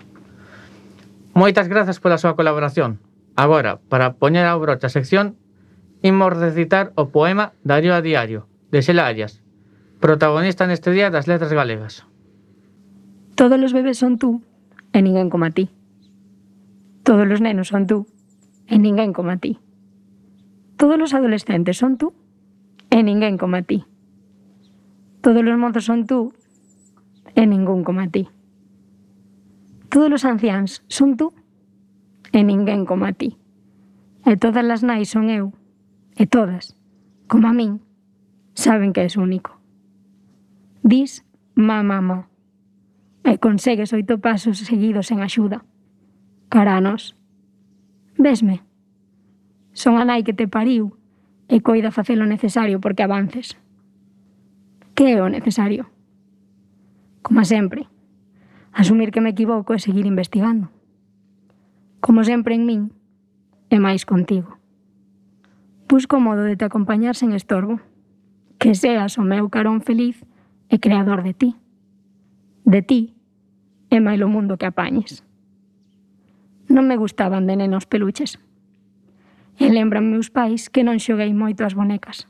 Moitas grazas pola súa colaboración. Agora, para poñer ao broche a sección, imos recitar o poema Darío a diario, de Xela Arias, protagonista neste día das letras galegas.
Todos os bebés son tú, e ninguén como a ti. Todos os nenos son tú, e ninguén como a ti. Todos os adolescentes son tú, e ninguén como a ti. Todos os mozos son tú, e ningún como a ti. Todos os anciáns son tú, e ninguén como a ti. E todas as nais son eu, e todas, como a min, saben que és único. Dis, má, mamá, e consegues oito pasos seguidos en axuda. Cara a nós. Vesme? Son a nai que te pariu e coida facer o necesario porque avances. Que é o necesario? Como sempre, asumir que me equivoco e seguir investigando. Como sempre en min, e máis contigo. Busco o modo de te acompañar sen estorbo, que seas o meu carón feliz e creador de ti. De ti, e máis o mundo que apañes. Non me gustaban de nenos peluches. E lembran meus pais que non xoguei moito as bonecas.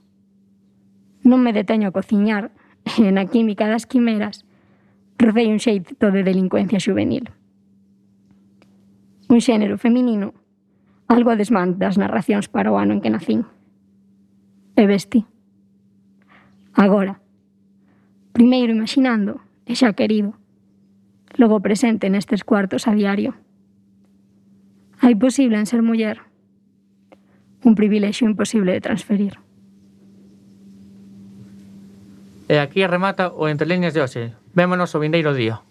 Non me deteño a cociñar, e na química das quimeras rocei un xeito de delincuencia juvenil. Un xénero feminino, algo a desmán das narracións para o ano en que nacín. E vesti. Agora, primeiro imaginando e xa querido, logo presente nestes cuartos a diario. Hai posible en ser muller, un privilexio imposible de transferir.
E aquí remata o Entre Liñas de hoxe. Vémonos o vindeiro día.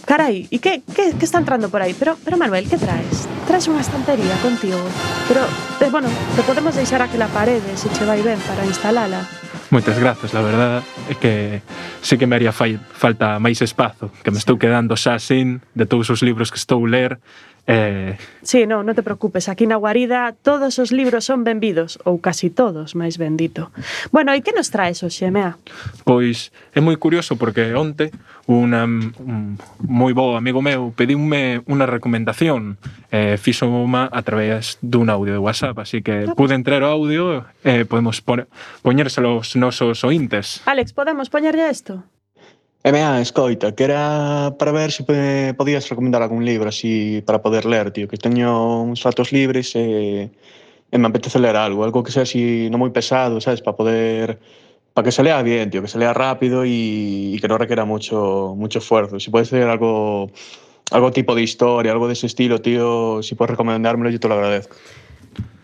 Carai, e que, que, que está entrando por aí? Pero, pero Manuel, que traes? Traes unha estantería contigo. Pero, eh, bueno, te podemos deixar aquela parede se che vai ben para instalala.
Moitas grazas, la verdad é que sí que me haría fai, falta máis espazo, que me estou quedando xa sin de todos os libros que estou ler. Eh...
Sí, non, non te preocupes, aquí na guarida todos os libros son benvidos, ou casi todos, máis bendito. Bueno, e que nos traes hoxe, Mea?
Pois é moi curioso porque onte una, un moi bo amigo meu pediume unha recomendación, eh, fixo unha a través dun audio de WhatsApp, así que ah, pude entrar o audio e eh, podemos poñérselo aos nosos ointes.
Alex, podemos poñerlle isto?
E mea, escoita, que era para ver se me podías recomendar algún libro así para poder ler, tío, que teño uns ratos libres e, e me apetece ler algo, algo que sea así non moi pesado, sabes, para poder, para que se lea bien, tío, que se lea rápido e, e que non requiera mucho mucho esfuerzo. Si puedes ser algo algo tipo de historia, algo dese estilo, tío, si puedes recomendármelo, yo te lo agradezco.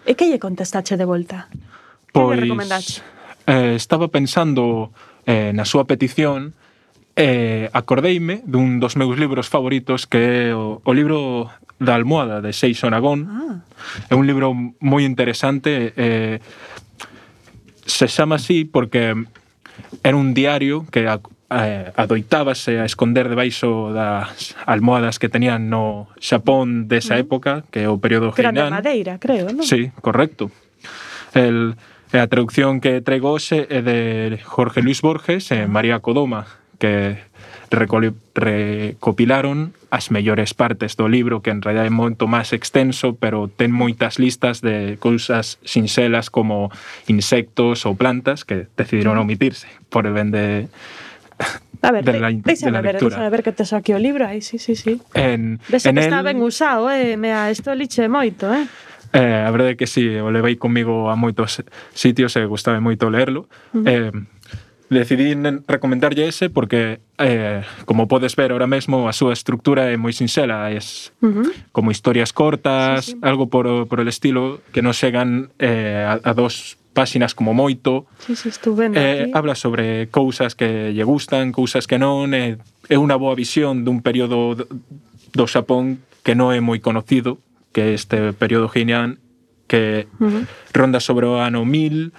E que lle contestache de volta? Que
pois,
lle recomendache?
Eh, estaba pensando eh, na súa petición. Eh, acordeime dun dos meus libros favoritos, que é o, o libro da almohada de Seixo Nagón. Ah. É un libro moi interesante, eh, se chama así porque era un diario que a, eh, adoitábase a esconder debaixo das almohadas que tenían no Xapón desa mm. época, que é o período Heian.
Que era de madeira, creo, non?
Sí, correcto. El, a traducción que traigo hoxe é de Jorge Luis Borges e María Codoma, que recopilaron as mellores partes do libro, que en realidad é moito máis extenso, pero ten moitas listas de cousas sinxelas como insectos ou plantas que decidiron omitirse por el ben de,
a ver,
de, la,
déxame
de la
ver,
lectura.
Déxame ver que te saque o libro aí, sí, sí, sí.
En,
Dese
en
que
el,
está ben usado, eh, mea, isto lixe moito, eh.
Eh, a verdade é que sí, o levei comigo a moitos sitios e gustaba moito lerlo. Uh-huh. Eh, decidí recomendarlle ese porque, eh, como podes ver ahora mesmo, a súa estructura é moi sinxela, é uh-huh. como historias cortas, sí, sí. algo por, por el estilo, que non chegan eh, a, a dos páxinas como moito.
Sí, sí, estuve
eh, habla sobre cousas que lle gustan, cousas que non, é, é unha boa visión dun período do, do Xapón que non é moi conocido, que é este período Heian, que uh-huh. ronda sobre o ano mil,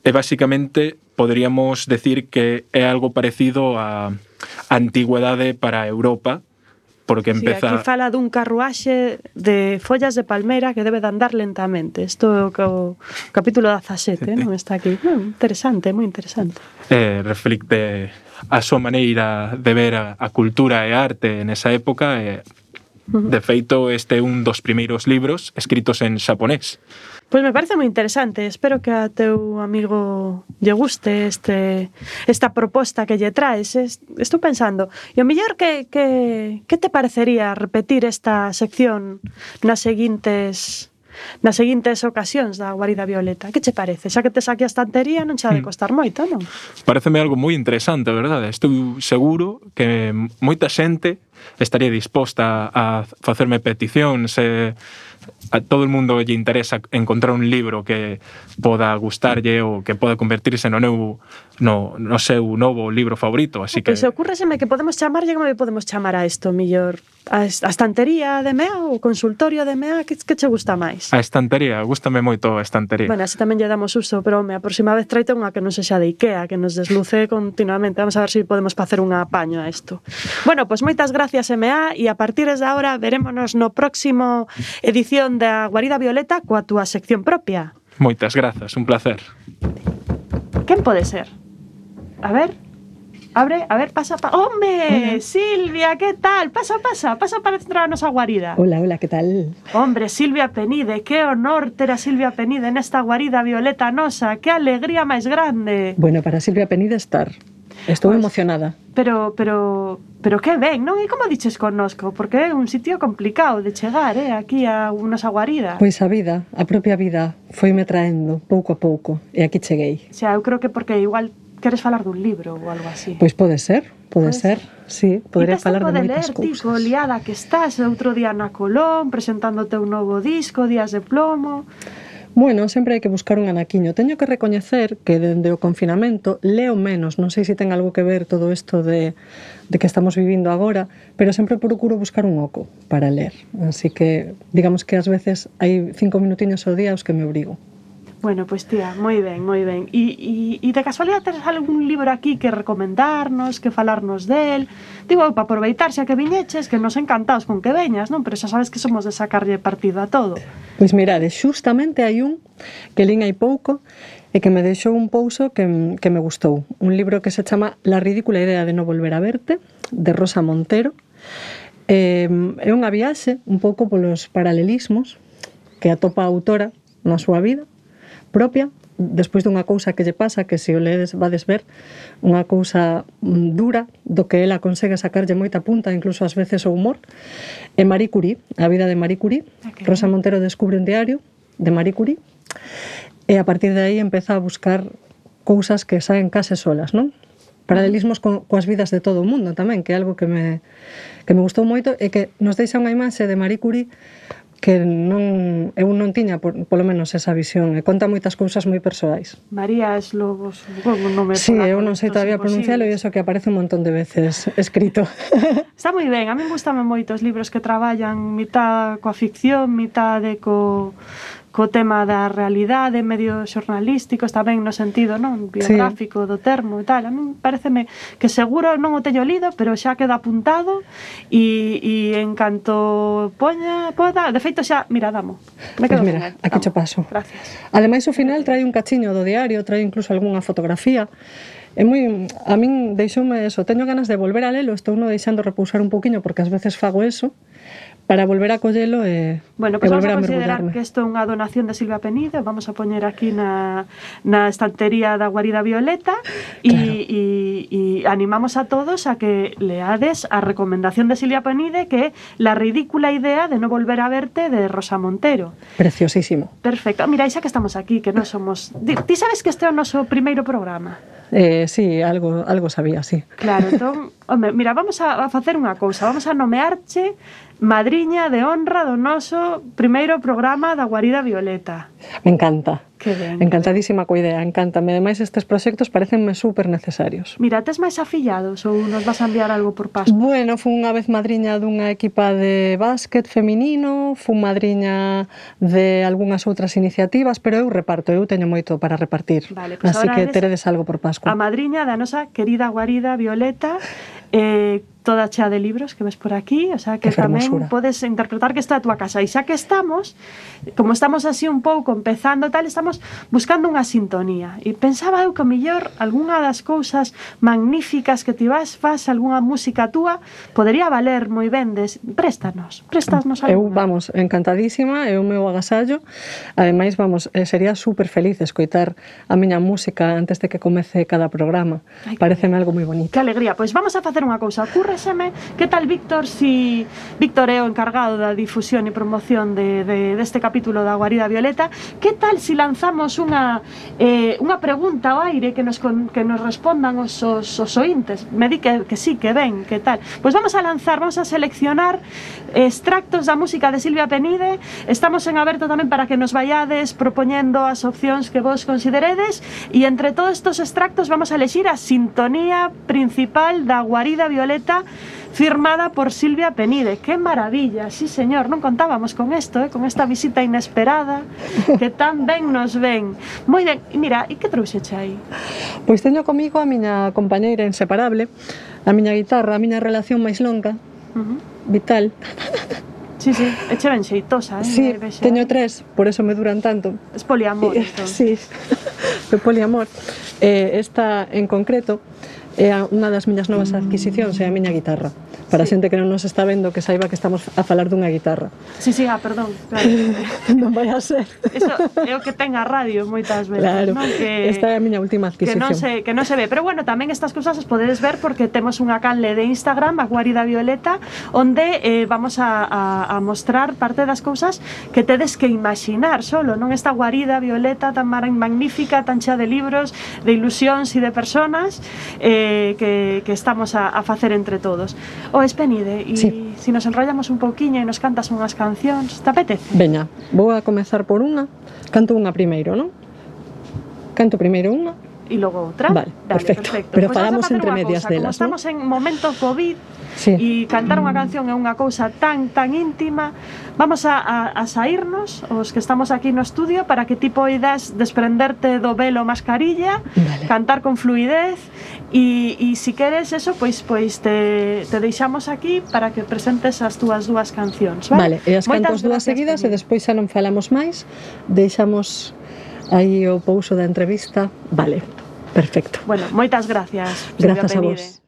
e basicamente poderíamos decir que é algo parecido a antigüedade para Europa, porque empeza...
Sí, aquí fala dun carruaxe de follas de palmera que debe de andar lentamente. Isto é o capítulo dezasete, sí, non está aquí. Mm, interesante, moi interesante.
Eh, reflicte a súa maneira de ver a, a cultura e a arte nesa época, e De feito, este é un dos primeiros libros escritos en xaponés.
Pois me parece moi interesante. Espero que a teu amigo lle guste este, esta proposta que lle traes. Estou pensando, e o mellor que, que, que te parecería repetir esta sección nas seguintes... nas seguintes ocasións da Guarida Violeta? Que che parece? Xa que te saque a estantería non xa de costar moito, non?
Pareceme algo moi interesante, verdade? Estou seguro que moita xente estaría disposta a facerme peticións e a todo o mundo lle interesa encontrar un libro que poda gustarlle ou que poda convertirse no meu no, no seu novo libro favorito, así que...
Pois ocúrreseme que podemos chamarlle, como podemos chamar a isto, millor? A estantería de M E A ou o consultorio de M E A? Que, que che gusta máis?
A estantería, gústame moito a estantería.
Bueno, así tamén lle damos uso, pero home, a próxima vez traite unha que non sexa de Ikea, que nos desluce continuamente. Vamos a ver se si podemos facer un apaño a isto. Bueno, pois moitas gracias M E A e a partir de agora verémonos no próximo edición da Guarida Violeta coa túa sección propia.
Moitas grazas, un placer.
Quen pode ser? A ver, abre, a ver, pasa, pa... ¡Hombre! Hola. Silvia, ¿qué tal? Pasa, pasa, pasa para entrar a nosa guarida.
Hola, hola, ¿qué tal?
Hombre, Silvia Penide, qué honor ter a Silvia Penide nesta Guarida Violeta nosa, qué alegría máis grande.
Bueno, para Silvia Penide estar. Estou pues, emocionada.
Pero, pero, pero que ben, non? E como diches connosco? Porque é un sitio complicado de chegar, eh, aquí a nosa guarida.
Pois a vida, a propia vida, foime traendo pouco a pouco, e aquí cheguei.
O sea, eu creo que porque igual queres falar dun libro ou algo así.
Pois pode ser, pode ser, sí, podería falar de moitas
cousas. E tes tempo de ler, tico, liada que estás, outro día na Colón, presentándote un novo disco, Días de Plomo...
Bueno, sempre hai que buscar un anaquiño. Teño que recoñecer que dende o confinamento leo menos, non sei se ten algo que ver todo isto de, de que estamos vivindo agora, pero sempre procuro buscar un oco para ler. Así que, digamos que ás veces hai cinco minutiños ao día os que me obrigo.
Bueno, pois pues, tía, moi ben, moi ben. E, e, e de casualidade tens algún libro aquí que recomendarnos, que falarnos del? Digo, para aproveitar xa que viñeches, que nos encantados con que veñas, non? Pero xa sabes que somos de sacarlle partido a todo.
Pois mirade, xustamente hai un que lín hai pouco e que me deixou un pouso que, que me gustou. Un libro que se chama La ridícula idea de no volver a verte, de Rosa Montero. Eh, é unha viaxe un pouco polos paralelismos que atopa a autora na súa vida propia, despois dunha cousa que lle pasa, que se o ledes vades ver, unha cousa dura, do que ela consegue sacarlle moita punta, incluso ás veces o humor. E Marie Curie, a vida de Marie Curie. Okay. Rosa Montero descubre un diario de Marie Curie, e a partir de aí empeza a buscar cousas que saen case solas, non? Paralelismos co, coas vidas de todo o mundo tamén, que é algo que me, que me gustou moito, e que nos deixa unha imaxe de Marie Curie que non, eu non tiña por, polo menos esa visión, e conta moitas cousas moi persoais.
María Slobos, un nome.
Sí, eu non sei todavía pronuncialo, e iso que aparece un montón de veces escrito.
Está moi ben, a mí gustame moito os libros que traballan mitad coa ficción, mitad de co co tema da realidade, medios xornalísticos, tamén no sentido, non, biográfico, sí, do termo e tal. A mí pareceme que seguro non o teño lido, pero xa queda apuntado e, e en canto poña, poda, de feito xa, mira, damo. Me quedo
pues mira, aquí cho paso.
Gracias.
Ademais, o final trae un cachiño do diario, trae incluso algunha fotografía. É moi, a min deixoume eso, teño ganas de volver a lelo, estou no deixando repousar un poquinho porque ás veces fago eso, para volver a collelo e,
bueno, pues
e volver a
mergullarme. Vamos a considerar
mergullarme.
Que isto é unha donación de Silvia Penide, vamos a poñer aquí na, na estantería da Guarida Violeta e, claro, e, e animamos a todos a que leades a recomendación de Silvia Penide, que é La ridícula idea de no volver a verte, de Rosa Montero.
Preciosísimo.
Perfecto. Mira, xa que estamos aquí, que non somos... Ti sabes que este é o noso primeiro programa?
Eh, sí, algo, algo sabía, sí.
Claro, entón, home, mira, vamos a, a facer unha cousa, vamos a nomearche madriña de honra do noso primeiro programa da Guarida Violeta.
Me encanta.
Que ben.
Encantadísima coa idea, encántame. Ademais, estes proxectos parecenme super necesarios.
Mira, tes máis afillados ou nos vas a enviar algo por Pascua?
Bueno, fui unha vez madriña dunha equipa de básquet feminino, fui madriña de algunhas outras iniciativas, pero eu reparto, eu teño moito para repartir.
Vale, pues
así que teredes algo por Pascua.
A madriña da nosa querida Guarida Violeta eh, toda chea de libros que ves por aquí, o sea que,
Que
tamén
fermosura.
podes interpretar que está a túa casa. E xa que estamos, como estamos así un pouco empezando tal, estamos buscando unha sintonía. E pensaba eu que mellor algunha das cousas magníficas que ti vas, faz algunha música túa, podería valer moi ben des... Préstanos, préstanos
Eu,
algunha.
vamos, encantadísima, é o meu agasallo. Ademais, vamos, eh, sería super feliz escoitar a miña música antes de que comece cada programa.
Ai, que
Pareceme algo moi bonito.
Que alegría. Pois vamos a facer unha cousa. Ocúrreseme, que tal Víctor, si Víctor é o encargado da difusión e promoción de, de, deste capítulo da Guarida Violeta, que tal si lanzamos unha eh, unha pregunta ao aire que nos, con, que nos respondan os, os, os ointes? Me di que, que sí, que ben, que tal. Pois vamos a lanzar, vamos a seleccionar extractos da música de Silvia Penide. Estamos en aberto tamén para que nos vayades propoñendo as opcións que vos consideredes, e entre todos estos extractos vamos a elexir a sintonía principal da Guarida Violeta, firmada por Silvia Penide. ¡Qué maravilla! Sí, señor, non contábamos con esto, eh? Con esta visita inesperada que tan ben nos ven. Moi ben, e mira, e que trouxeche aí?
Pois teño comigo a miña compañeira inseparable, a miña guitarra, a miña relación máis longa,
Uh-huh.
vital.
Sí, sí, eche ben xeitosa, eh?
Sí,
Vexe,
teño
eh?
tres, por eso me duran tanto.
Es poliamor,
Eh,
entón.
Sí, de poliamor. Eh, esta en concreto é a- unha das miñas novas adquisicións, é a miña guitarra. Para a
Sí.
xente que non nos está vendo, que saiba que estamos a falar dunha guitarra.
Sí, sí, ah, perdón, claro.
Non vai a ser.
Eso é o que ten a radio moitas veces,
Claro,
non? Que,
esta é a miña última
que
adquisición.
non se que non se ve, pero bueno, tamén estas cousas as podedes ver porque temos unha canle de Instagram, a Guarida Violeta, onde eh, vamos a, a, a mostrar parte das cousas que tedes que imaginar solo, non? Esta Guarida Violeta tan mar- magnífica, tan chea de libros, de ilusións e de personas eh, que, que estamos a, a facer entre todos. O Espenide, e
Sí.
si nos enrollamos un pouquiño e nos cantas unhas cancións, te apetece?
Veña, vou a comezar por unha. Canto unha primeiro, non? Canto primeiro unha.
E logo outra.
Vale, perfecto. Pero
Pois
falamos
vamos a facer
entre
unha
medias
cousa,
delas,
como estamos en momento COVID,
Sí.
e cantar unha canción é unha cousa tan tan íntima, vamos a, a, a saírnos os que estamos aquí no estudio para que ti poidas desprenderte do velo mascarilla,
Vale.
cantar con fluidez, e, e si queres eso, pois pois te, te deixamos aquí para que presentes as túas dúas cancións,
Vale,
vale?
e as
Moitas
cantos dúas
gracias,
seguidas e
Penide.
despois xa non falamos máis. Deixamos aí o pouso da entrevista. Vale, perfecto.
Bueno, moitas gracias, Silvia
Grazas a
Penide.
vos.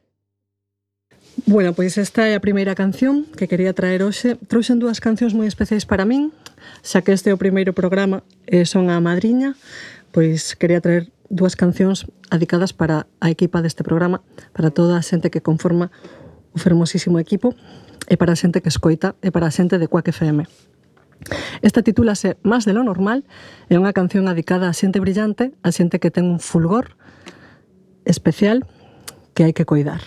Bueno, pois esta é a primeira canción que quería traer hoxe. Trouxen dúas cancións moi especiais para min, xa que este é o primeiro programa e son a madriña, pois quería traer dúas cancións dedicadas para a equipa deste programa, para toda a xente que conforma o fermosísimo equipo, e para a xente que escoita, e para a xente de Quack F M. Esta titúlase Más de lo normal, é unha canción dedicada a xente brillante, a xente que ten un fulgor especial que hai que coidar.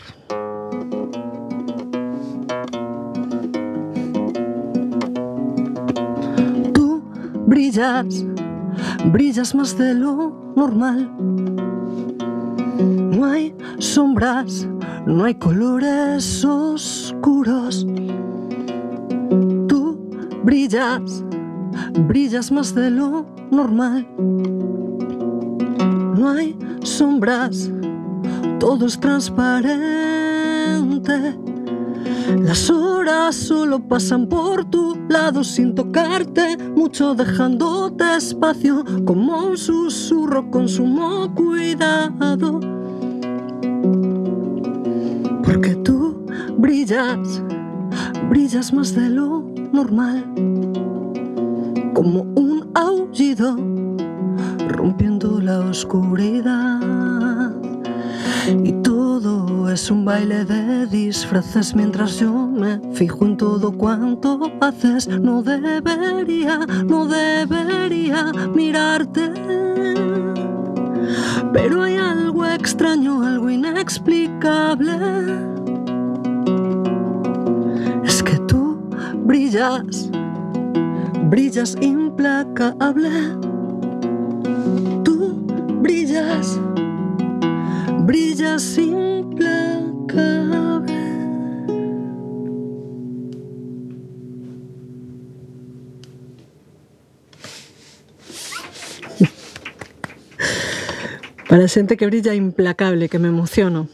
Tú brillas, brillas más de lo normal. No hay sombras, no hay colores oscuros. Tú brillas, brillas más de lo normal. No hay sombras, todo es transparente. Las horas solo pasan por tu lado sin tocarte mucho, dejándote espacio como un susurro con sumo cuidado. Porque tú brillas, brillas más de lo normal, como un aullido rompiendo la oscuridad. Y todo es un baile de disfraces mientras yo me fijo en todo cuanto haces. No debería, no debería mirarte, pero hay algo extraño, algo inexplicable. Es que tú brillas, brillas implacable. Tú brillas, brillas implacable. Para a xente que brilla implacable, que me emociono.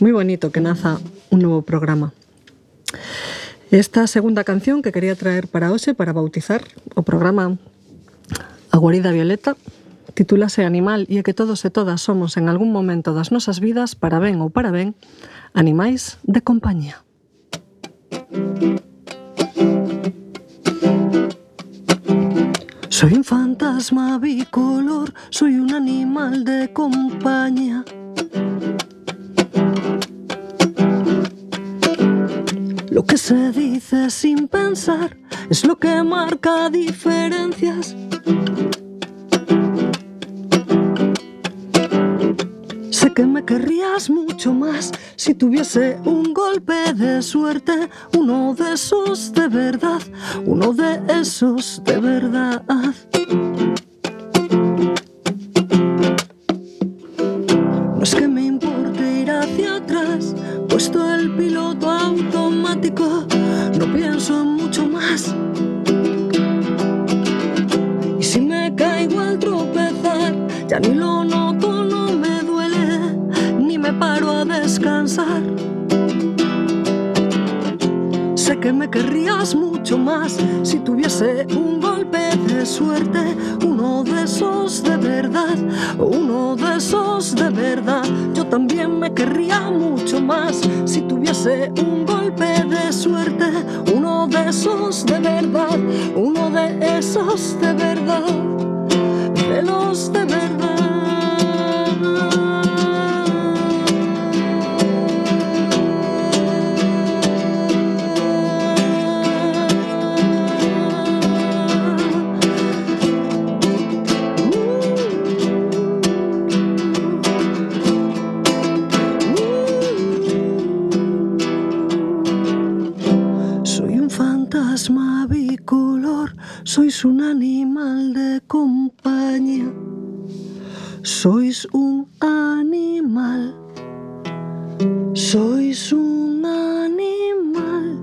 Moi Muy bonito que naza un nuevo programa. Esta segunda canción que quería traer para hoxe, para bautizar o programa A Guarida Violeta, titúlase Animal, e é que todos e todas somos en algún momento das nosas vidas, para ben ou para ben, animais de compañía. Soy un fantasma bicolor, soy un animal de compañía. Lo que se dice sin pensar es lo que marca diferencias. Sé que me querrías mucho más si tuviese un golpe de suerte, uno de esos de verdad, uno de esos de verdad. No es que me importe ir hacia atrás, puesto el piloto automático, no pienso en mucho más. Y si me caigo al tropezar, ya ni lo noto, no me duele, ni me paro a descansar. Sé que me querrías mucho más si tuviese un golpe de suerte, uno de esos de verdad, uno de esos de verdad. Yo también me querría mucho más si tuviese un golpe de suerte, uno de esos de verdad, uno de esos de verdad, de los de verdad. Fantasma bicolor, sois un animal de compañía. Sois un animal, sois un animal,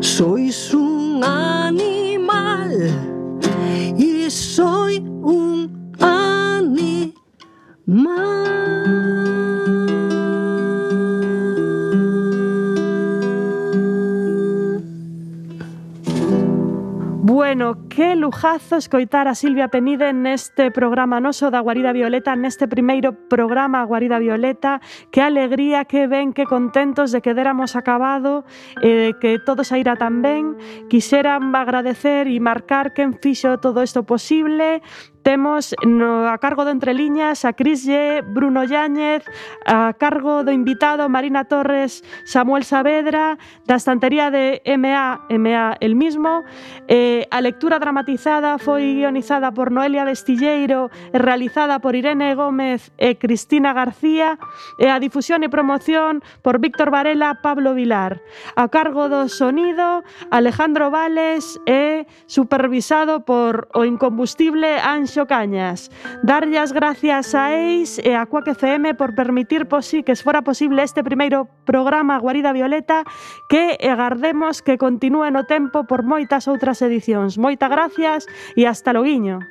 sois un animal y soy un animal.
Bueno, que lujazo escoitar a Silvia Penide neste programa noso da Guarida Violeta, neste primeiro programa Guarida Violeta. Que alegría, que ben, que contentos de que déramos acabado, eh, que todo saíra tan ben. Quixeran agradecer e marcar quen fixo todo isto posible. Temos no, a cargo do Entre Liñas a Cris Lle, Bruno Yáñez, a cargo do invitado Marina Torres, Samuel Saavedra, da estantería de M A, M A el mismo. Eh, a lectura dramatizada foi guionizada por Noelia Vestilleiro e realizada por Irene Gómez e Cristina García, e a difusión e promoción por Víctor Varela, Pablo Vilar. A cargo do sonido, Alejandro Vales e supervisado por o incombustible Anxo Cañas. Darlle as gracias a Eis e a Quack F M por permitir posi que fora posible este primeiro programa Guarida Violeta, que agardemos que continúe no tempo por moitas outras edicións. Moitas gracias e hasta loguiño.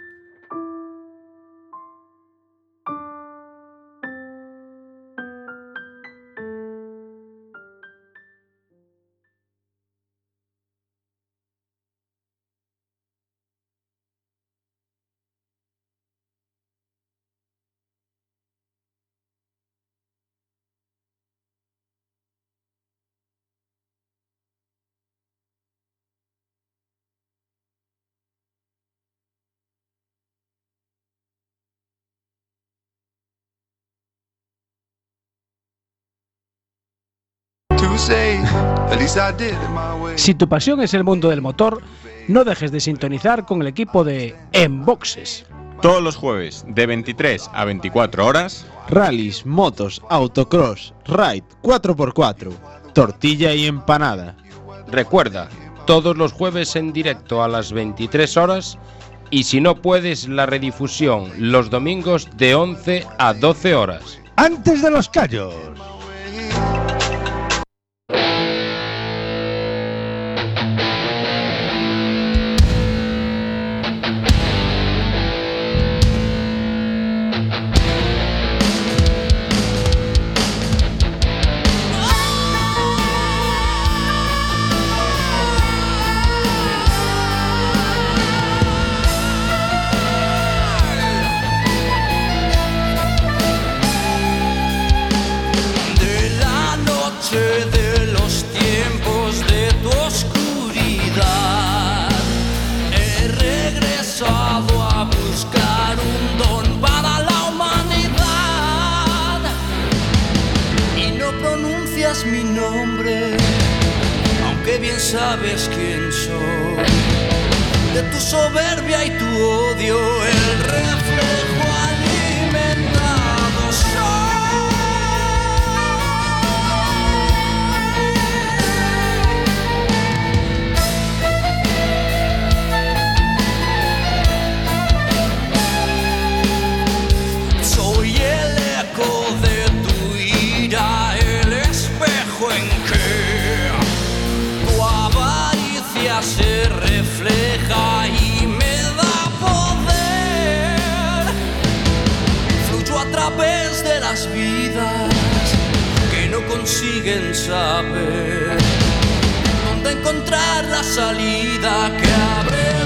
Si tu pasión es el mundo del motor, no dejes de sintonizar con el equipo de En Boxes.
Todos los jueves, de veintitrés a veinticuatro horas,
rallies, motos, autocross, ride cuatro por cuatro, tortilla y empanada.
Recuerda, todos los jueves en directo a las veintitrés horas, y si no puedes, la redifusión los domingos de once a doce horas.
Antes de los callos.
pronuncias mi nombre, aunque bien sabes quién soy. De tu soberbia y tu odio, el reflejo alimentado soy. Soy el eco de tu ira, el espejo en que tu avaricia se refleja y me da poder. Fluyo a través de las vidas que no consiguen saber dónde encontrar la salida que abre